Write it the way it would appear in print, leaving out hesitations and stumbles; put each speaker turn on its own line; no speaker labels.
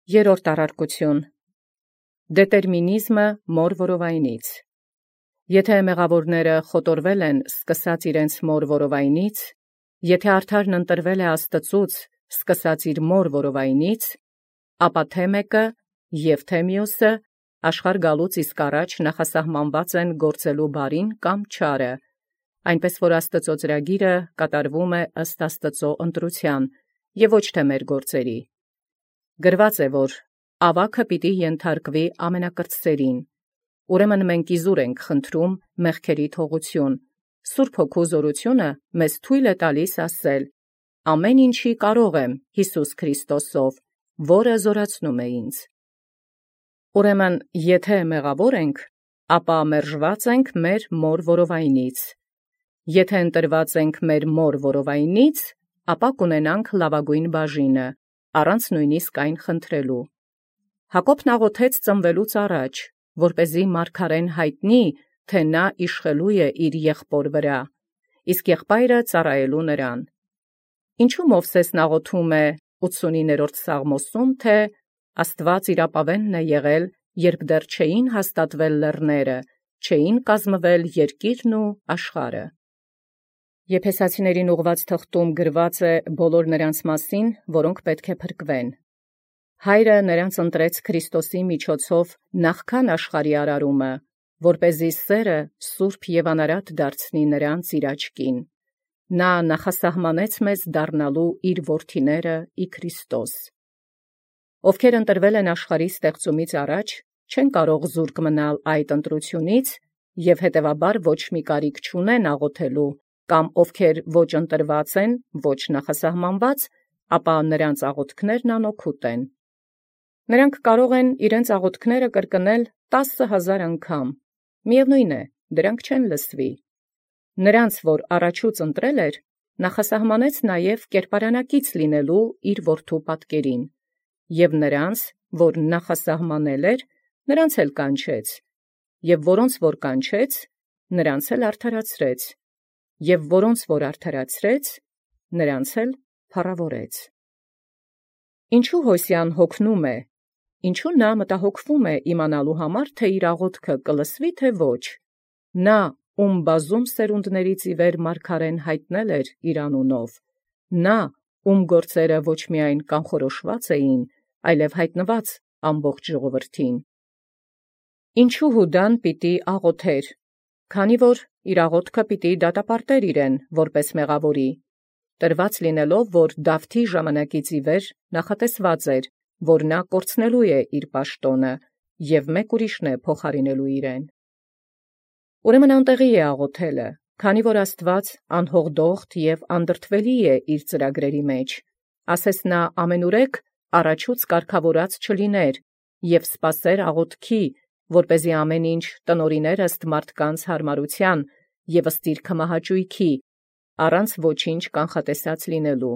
Երրորդ առարկություն. դետերմինիզմը մոր որովայնից։ Եթե մեղավորները խոտորվել են սկսած իրենց մոր որովայնից, եթե արդարն ընտրվել է Աստծուց սկսած իր մոր որովայնից, ապա թե մեկը և թե մյուսը աշխարհ գալուց իսկ առաջ նախասահմանված են գործելու բարին կամ չարը, այնպես որ Աստծո ծրագիրը կատարվում է ըստ Աստծո ընտրության և ոչ թե մեր գործերի։ Գրված է, որ ավագը պիտի ենթարկվի ամենակրտսերին, ուրեմն մենք իզուր ենք խնդրում մեղքերի թողություն, Սուրբ Հոգու զորությունը մեզ թույլ է տալիս ասել. ամեն ինչի կարող եմ Հիսուս Քրիստոսով, որը զորացնում է ինձ։ Ուրեմն եթե մեղավոր ենք, ապա մերժված ենք մեր մոր որովայնից, եթե ընտրված ենք մեր մոր որովայնից, ապա կունենանք լավագույն բաժինը, առանց նույնիսկ այն խնդրելու։ Հակոբն աղոթեց ծնվելուց առաջ, որպեսզի մարգարեն հայտնի, թե նա իշխելու է իր եղբոր վրա, իսկ եղբայրը ծառայելու նրան։ Ինչու Մովսեսն աղոթում է 89-րդ Սաղմոսում, թե Աստված իրապավենն է եղել, երբ դեռ չէին հաստատվել լեռները, չէին կազմվել երկիրն ու աշխարհը։ Եփեսացիներին ուղղված թղթում գրված է բոլոր նրանց մասին, որոնք պետք է փրկվեն։ Հայրը նրանց ընտրեց Քրիստոսի միջոցով նախքան աշխարհի արարումը, որպեսզի սերը սուրբ և անարատ դարձնի նրանց իր աչքին։ Նա նախասահմանեց մեզ դառնալու իր որդիները ի Քրիստոս։ Ովքեր ընտրվել են աշխարհի ստեղծումից առաջ, չեն կարող զուրկ մնալ այդ ընտրությունից և հետևաբար ոչ մի կարիք չունեն աղոթելու, կամ ովքեր ոչ ընտրված են, ոչ նախասահմանված, ապա նրանց աղոթքներն անօգուտ են։ Նրանք կարող են իրենց աղոթքները կրկնել 10,000 անգամ, միևնույն է, դրանք չեն լսվի։ Նրանց, որ առաջուց ընտրել էր, նախասահմանեց նաև կերպարանակից լինելու իր որդու պատկերին, և նրանց, որ նախասահմանել էր, նրանց էլ կանչեց, և որոնց որ կանչեց, նրանց էլ արդարացրեց, և որոնց որ արդարացրեց, նրանց էլ փառավորեց։ Ինչու Հոսեան հոգնում է, ինչու նա մտահոգվում է իմանալու համար, թե իր աղոթքը կլսվի, թե ոչ։ Նա, ում բազում սերունդներից ի վեր մարգարեն հայտնել էր իր անունով, նա, ում գործերը ոչ միայն կանխորոշված էին, այլև հայտնված ամբողջ ժողովրդին։ Ինչու Հուդան պիտի աղոթեր, քանի որ իր աղոթքը պիտի դատապարտեր իրեն որպես մեղավորի, տրված լինելով, որ Դավթի ժամանակից ի վեր նախատեսված էր, որ նա կորցնելու է իր պաշտոնը և մեկ ուրիշն է փոխարինելու իրեն։ Ուրեմն անտեղի է աղոթելը, քանի որ Աստված անհողդողդ և անդրդվելի է իր ծրագրերի մեջ, ասես նա ամենուրեք առաջուց կարգավորած չլիներ և սպասեր աղոթքի, որպեսզի ամեն ինչ տնօրիներ ըստ մարդկանց հարմարության և ըստ իր քմահաճույքի, առանց ոչինչ կանխատեսած լինելու։